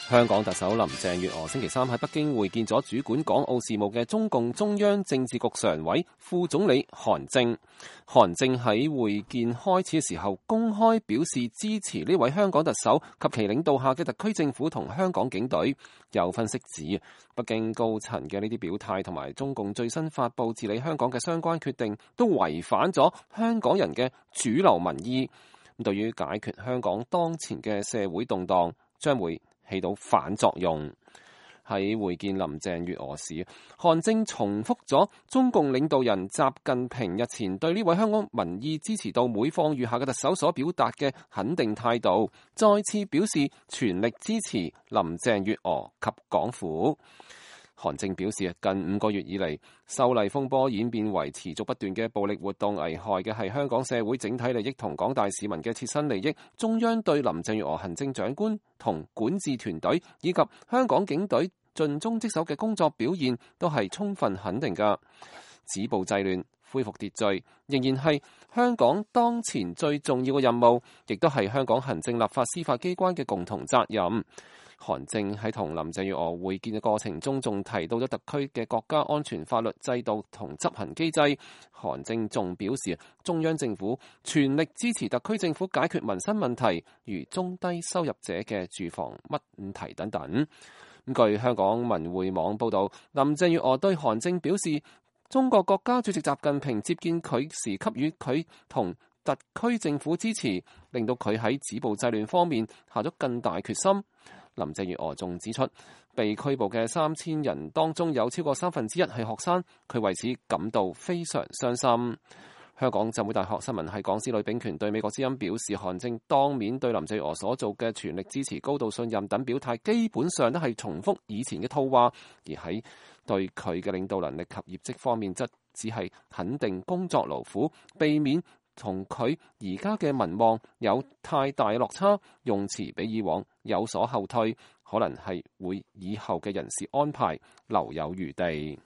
香港特首林鄭月娥星期三喺北京會見咗主管港澳事務嘅中共中央政治局常委、副總理韓正。韓正喺會見開始嘅時候公開表示支持呢位香港特首及其領導下嘅特區政府同香港警隊。有分析指，北京高層嘅呢啲表態同埋中共最新發布治理香港嘅相關決定，都違反咗香港人嘅主流民意。咁對於解決香港當前嘅社會動盪，將會起到反作用。喺會見林鄭月娥時，韓正重複咗中共領導人習近平日前對呢位香港民意支持度每況愈下嘅特首所表達嘅肯定態度，再次表示全力支持林鄭月娥及港府。韓正表示，近5個月以嚟，修例風波演變為持續不斷嘅暴力活動，危害嘅係香港社會整體利益同廣大市民嘅切身利益。中央對林鄭月娥行政長官同管治團隊以及香港警隊盡忠職守嘅工作表現都係充分肯定㗎。止暴制亂、恢復秩序仍然係香港當前最重要嘅任務，亦都係香港行政、立法、司法機關嘅共同責任。韓正喺同林鄭月娥會見嘅過程中，仲提到咗特區嘅國家安全法律制度同執行機制。韓正仲表示，中央政府全力支持特區政府解決民生問題，如中低收入者嘅住房問題等等。據香港文匯網報道，林鄭月娥對韓正表示，中國國家主席習近平接見佢時給予佢同特區政府支持，令到佢喺止暴制亂方面下咗更大決心。林鄭月娥仲指出，被拘捕嘅3000人當中有超過1/3係學生，佢為此感到非常傷心。香港浸會大學新聞系講師呂秉權對美國之音表示，韓正當面對林鄭月娥所做嘅全力支持、高度信任等表態，基本上都係重複以前嘅套話，而喺對佢嘅領導能力及業績方面，則只係肯定工作勞苦，避免同佢而家嘅民望有太大落差，用詞比以往有所後退，可能係會以後嘅人事安排留有餘地。